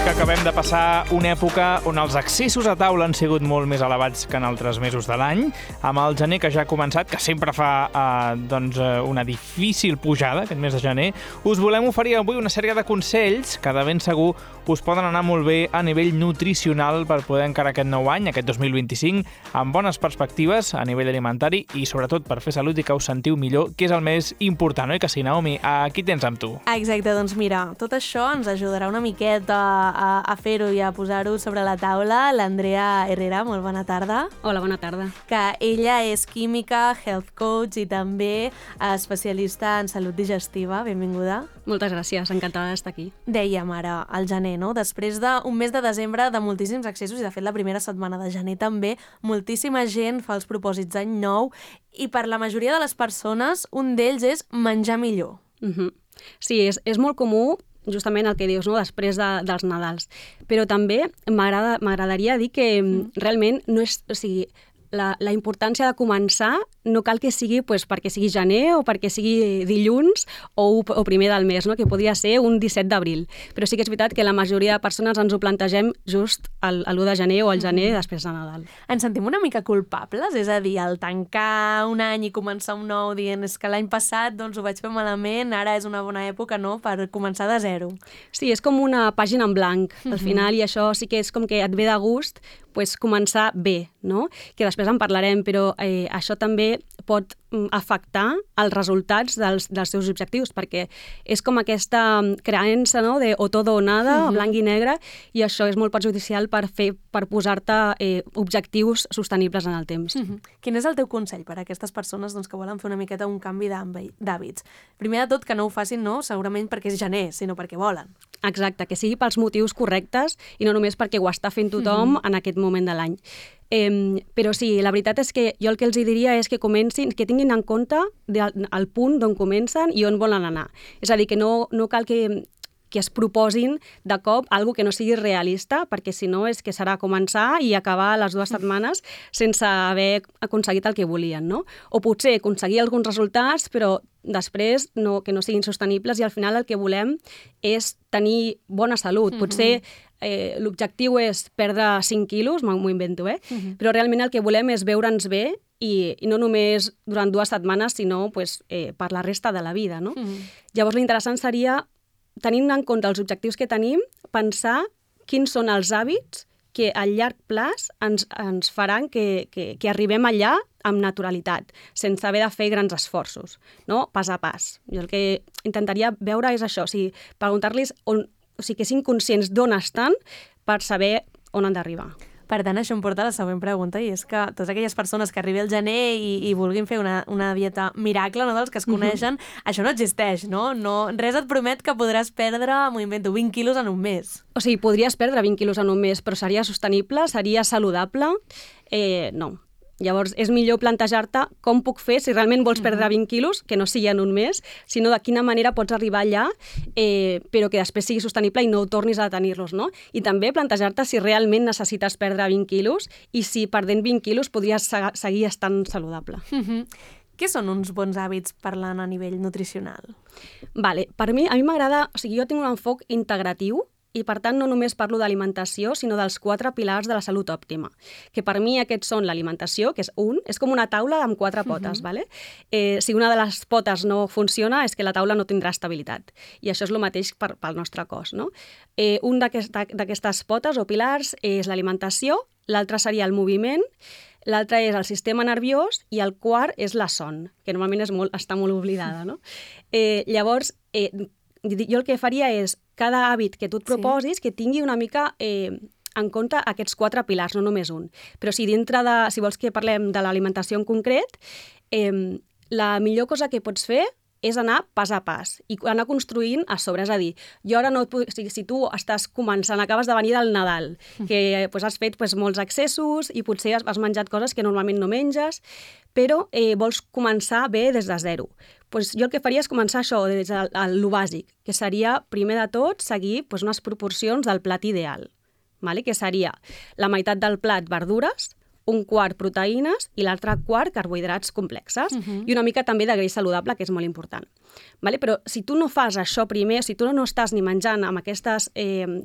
que acabem de passar una època on els accessos a taula han sigut molt més elevats que en altres mesos de l'any, amb el gener que ja ha començat, que sempre fa una difícil pujada, aquest mes de gener. Us volem oferir avui una sèrie de consells que de ben segur us poden anar molt bé a nivell nutricional per poder encarar aquest nou any, aquest 2025, amb bones perspectives a nivell alimentari i sobretot per fer salut i que us sentiu millor, que és el més important, oi que sí, Naomi? Aquí tens amb tu. Exacte, doncs mira, tot això ens ajudarà una miqueta a fer-ho i a posar-ho sobre la taula. L'Andrea Herrera, molt bona tarda. Hola, bona tarda. Que ella és química, health coach i també especialista en salut digestiva. Benvinguda. Moltes gràcies, encantada d'estar aquí. Dèiem ara, al gener, no? Després d'un mes de desembre de moltíssims accessos i de fet la primera setmana de gener també, moltíssima gent fa els propòsits d'any nou i per la majoria de les persones un d'ells és menjar millor. Sí, és molt comú justament el que dius, no? Després dels Nadals. Però també m'agradaria dir que realment no és... O sigui, la importància de començar no cal que sigui perquè sigui gener o perquè sigui dilluns o primer del mes, no? Que podria ser un 17 d'abril. Però sí que és veritat que la majoria de persones ens ho plantegem just l'1 de gener o el gener després de Nadal. Ens sentim una mica culpables? És a dir, al tancar un any i començar un nou dient és que l'any passat doncs, ho vaig fer malament, ara és una bona època, no?, per començar de zero. Sí, és com una pàgina en blanc al final i això sí que és com que et ve de gust començar bé, no? Que després en parlarem, però això també pot afectar els resultats dels seus objectius, perquè és com aquesta creença, no?, de o todo o nada, blanc i negre, i això és molt perjudicial per posar-te objectius sostenibles en el temps. Quin és el teu consell per a aquestes persones doncs, que volen fer una miqueta un canvi d'hàbits? Primer de tot, que no ho facin, no, segurament perquè és gener, sinó perquè volen. Exacte, que sigui pels motius correctes i no només perquè ho està fent tothom en aquest moment de l'any. Però sí, la veritat és que jo el que els diria és que comencin, que tinguin en compte el punt d'on comencen i on volen anar. És a dir, que no cal que es proposin de cop algo que no sigui realista, perquè si no és que serà començar i acabar les 2 setmanes sense haver aconseguit el que volien, no? O potser aconseguir alguns resultats, però després que no siguin sostenibles i al final el que volem és tenir bona salut. Potser l'objectiu és perdre 5 quilos, m'ho invento, però realment el que volem és veure'ns bé i no només durant 2 setmanes, sinó per la resta de la vida, no? Llavors l'interessant seria, tenint en compte els objectius que tenim, pensar quins són els hàbits que a llarg plaç ens faran que arribem allà amb naturalitat, sense haver de fer grans esforços, no? Pas a pas. Jo el que intentaria veure és això, preguntar-los que siguin conscients d'on estan per saber on han d'arribar. Per tant, això em porta a la següent pregunta, i és que totes aquelles persones que arribi el gener i vulguin fer una dieta miracle, no, dels que es coneixen, això no existeix, no? Res et promet que podràs perdre, m'ho invento, 20 quilos en un mes. O sigui, podries perdre 20 quilos en un mes, però seria sostenible? Seria saludable? No. Llavors, és millor plantejar-te com puc fer si realment vols perdre 20 quilos, que no sigui en un mes, sinó de quina manera pots arribar allà, però que després sigui sostenible i no tornis a tenir-los, no? I també plantejar-te si realment necessites perdre 20 quilos i si perdent 20 quilos podries seguir estant saludable. Què són uns bons hàbits parlant a nivell nutricional? Vale, a mi m'agrada, jo tinc un enfoc integratiu, i per tant no només parlo d'alimentació, sinó dels 4 pilars de la salut òptima, que per mi aquests són l'alimentació, que és com una taula amb 4 potes, ¿vale? Si una de les potes no funciona és que la taula no tindrà estabilitat, i això és el mateix pel nostre cos, no? Un d'aquestes potes o pilars és l'alimentació, l'altre seria el moviment, l'altre és el sistema nerviós i el quart és la son, que normalment està molt oblidada, no? Llavors, jo el que faria és cada hàbit que tu et proposis que tingui una mica en compte aquests 4 pilars, no només un. Però si vols que parlem de l'alimentació en concret, la millor cosa que pots fer és anar pas a pas i anar construint a sobre. És a dir, jo ara si tu estàs començant, acabes de venir del Nadal, que has fet molts accessos i potser has menjat coses que normalment no menges, però vols començar bé des de zero. Jo el que faria és començar això, des del bàsic, que seria, primer de tot, seguir unes proporcions del plat ideal, que seria la meitat del plat verdures, un quart proteïnes i l'altre quart carbohidrats complexes i una mica també de greix saludable, que és molt important. Vale? Però si tu no fas això primer, si tu no estàs ni menjant amb aquestes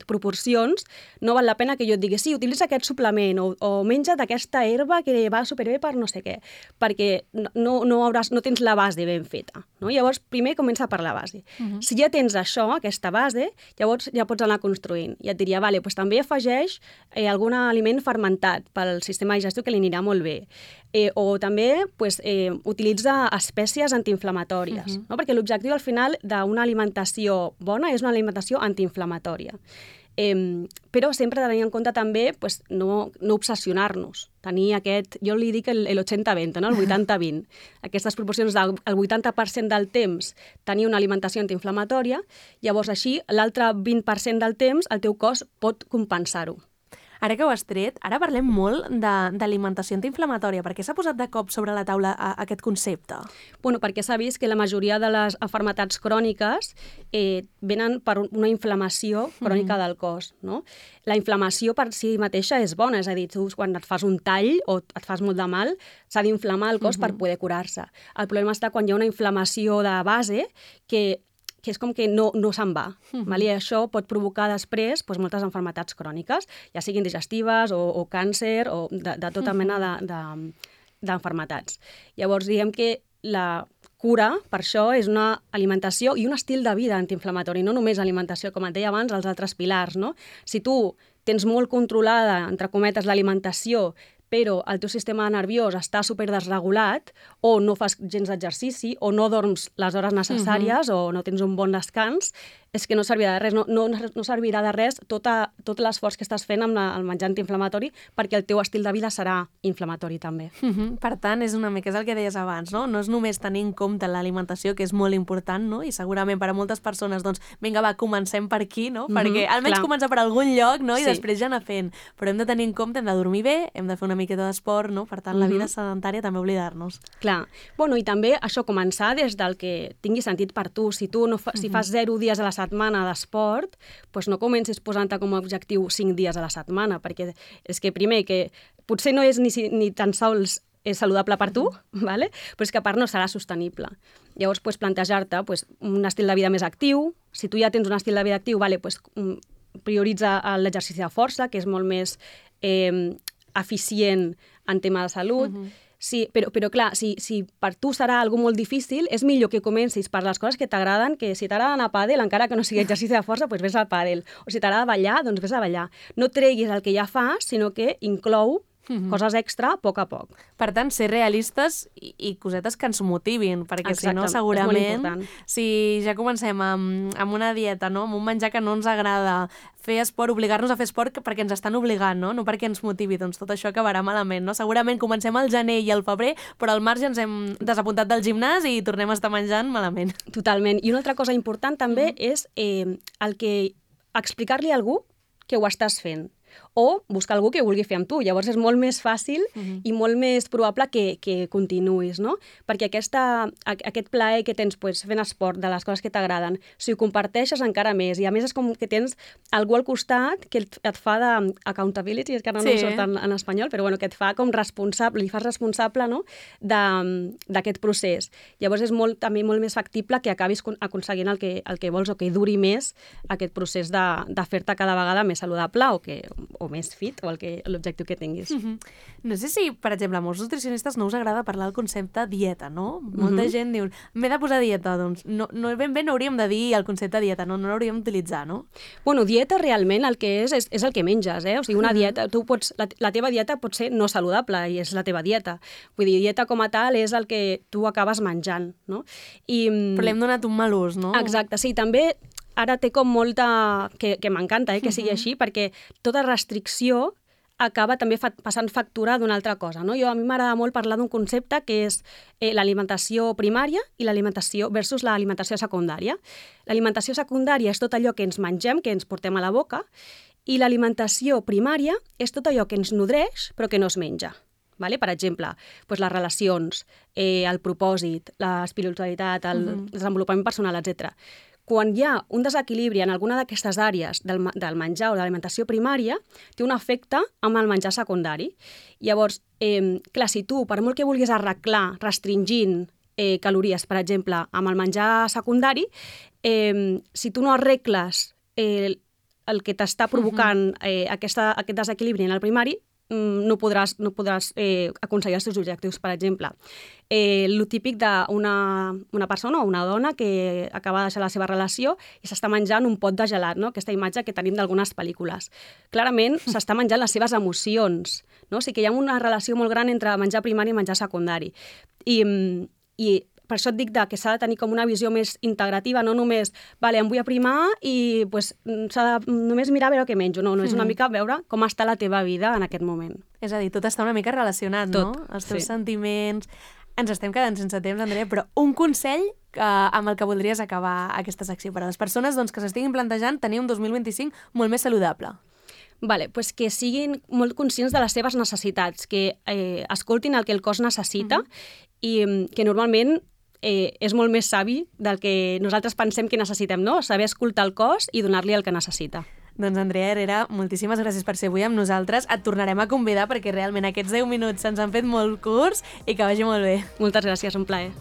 proporcions, no val la pena que jo et digui sí, utilitza aquest suplement o menja't aquesta herba que va superbé per no sé què, perquè no tens la base ben feta. No? Llavors, primer comença per la base. Si ja tens això, aquesta base, llavors ja pots anar construint. I et diria, vale, doncs també afegeix algun aliment fermentat pel sistema digestiu que li anirà molt bé. O també utilitza espècies antiinflamatòries, no? Perquè l'objectiu al final d'una alimentació bona és una alimentació antiinflamatòria. Però sempre tenir en compte també no obsessionar-nos. Tenir aquest, jo li dic el 80-20, no? El 80-20. Aquestes proporcions del 80% del temps tenir una alimentació antiinflamatòria, llavors així l'altre 20% del temps el teu cos pot compensar-ho. Ara que ho has tret, ara parlem molt d'alimentació antiinflamatòria. Per què s'ha posat de cop sobre la taula aquest concepte? Bueno, perquè s'ha vist que la majoria de les malalties cròniques venen per una inflamació crònica del cos. No? La inflamació per si mateixa és bona, és a dir, tu quan et fas un tall o et fas molt de mal, s'ha d'inflamar el cos per poder curar-se. El problema està quan hi ha una inflamació de base que és com que no se'n va. I això pot provocar després moltes malalties cròniques, ja siguin digestives o càncer o de tota mena d'malalties. Llavors, diguem que la cura, per això, és una alimentació i un estil de vida antiinflamatori, no només alimentació, com et deia abans, els altres pilars. No? Si tu tens molt controlada, entre cometes, l'alimentació, però el teu sistema nerviós està superdesregulat o no fas gens d'exercici o no dorms les hores necessàries o no tens un bon descans, és que no servirà de res. No servirà de res tot l'esforç que estàs fent amb el menjar antiinflamatori perquè el teu estil de vida serà inflamatori també. Per tant, és una mica el que deies abans, no? No és només tenir en compte l'alimentació, que és molt important, no? I segurament per a moltes persones, doncs, vinga, va, comencem per aquí, no? Perquè almenys començar per algun lloc, no? I després ja anar fent. Però hem de tenir en compte, hem de dormir bé, hem de fer una miqueta d'esport, no? Per tant, la vida sedentària també oblidar-nos. Clar. Bueno, i també això, començar des del que tingui sentit per tu. Si tu si fas 0 dies a la setmana d'esport, doncs no comencis posant-te com a objectiu 5 dies a la setmana, perquè és que primer que potser no és ni tan sols és saludable per tu, vale? Però és que a part no serà sostenible. Llavors, plantejar-te un estil de vida més actiu. Si tu ja tens un estil de vida actiu, vale, prioritza l'exercici de força, que és molt més eficient en tema de salut. Sí, però clar, si per tu serà algo molt difícil, és millor que comencis per les coses que t'agraden, que si t'agrada anar a pàdel, encara que no sigui exercici de força, doncs vés al pàdel. O si t'agrada ballar, doncs vés a ballar. No treguis el que ja fas, sinó que inclou coses extra a poc a poc. Per tant, ser realistes i cosetes que ens motivin, perquè si no, segurament, si ja comencem amb una dieta, no? Amb un menjar que no ens agrada, fer esport, obligar-nos a fer esport perquè ens estan obligant, no perquè ens motivi, doncs tot això acabarà malament. No? Segurament comencem al gener i al febrer, però al marge ens hem desapuntat del gimnàs i tornem a estar menjant malament. Totalment. I una altra cosa important també és el que explicar-li a algú que ho estàs fent, o buscar algú que vulgui fer amb tu. Llavors és molt més fàcil i molt més probable que continuïs, no? Perquè aquest plaer que tens fent esport, de les coses que t'agraden, si ho comparteixes encara més, i a més és com que tens algú al costat que et fa d'accountability, és que no em surt en espanyol, però bueno, que et fa com responsable, li fas responsable, no? d'aquest procés. Llavors és també molt més factible que acabis aconseguint el que vols o que duri més aquest procés de fer-te cada vegada més saludable o més fit, o l'objectiu que tinguis. No sé si, per exemple, a molts nutricionistes no us agrada parlar del concepte dieta, no? Molta gent diu, m'he de posar dieta, doncs no ben bé no hauríem de dir el concepte dieta, no l'hauríem d'utilitzar, no? Bueno, dieta realment el que és el que menges, O sigui, una dieta, la teva dieta pot ser no saludable i és la teva dieta. Vull dir, dieta com a tal és el que tu acabes menjant, no? Però l'hem donat un mal ús, no? Exacte, sí, també ara té com molta... que m'encanta que sigui així, perquè tota restricció acaba també passant factura d'una altra cosa. No? A mi m'agrada molt parlar d'un concepte que és l'alimentació primària i l'alimentació versus l'alimentació secundària. L'alimentació secundària és tot allò que ens mengem, que ens portem a la boca, i l'alimentació primària és tot allò que ens nodreix però que no es menja. Vale? Per exemple, les relacions, el propòsit, l'espiritualitat, el desenvolupament personal, etc. quan hi ha un desequilibri en alguna d'aquestes àrees del menjar o de l'alimentació primària, té un efecte amb el menjar secundari. Llavors, clar, si tu, per molt que vulguis arreglar restringint calories, per exemple, amb el menjar secundari, si tu no arregles el que t'està provocant aquest desequilibri en el primari, no podràs aconseguir els teus objectius. Per exemple, el típic d'una persona o una dona que acaba de deixar la seva relació i s'està menjant un pot de gelat, no? Aquesta imatge que tenim d'algunes pel·lícules. Clarament s'està menjant les seves emocions, no? O sigui que hi ha una relació molt gran entre menjar primari i menjar secundari. I per això et dic que s'ha de tenir com una visió més integrativa, no només, em vull aprimar i s'ha de només mirar a veure què menjo. No, és una mica veure com està la teva vida en aquest moment. És a dir, tot està una mica relacionat, no? Els teus sentiments. Ens estem quedant sense temps, Andrea, però un consell amb el que voldries acabar aquesta secció per a les persones que s'estiguin plantejant tenir un 2025 molt més saludable. Pues que siguin molt conscients de les seves necessitats, que escoltin el que el cos necessita i que normalment és molt més savi del que nosaltres pensem que necessitem, no? Saber escoltar el cos i donar-li el que necessita. Doncs Andrea Herrera, moltíssimes gràcies per ser avui amb nosaltres. Et tornarem a convidar perquè realment aquests 10 minuts se'ns han fet molt curts i que vagi molt bé. Moltes gràcies, un plaer.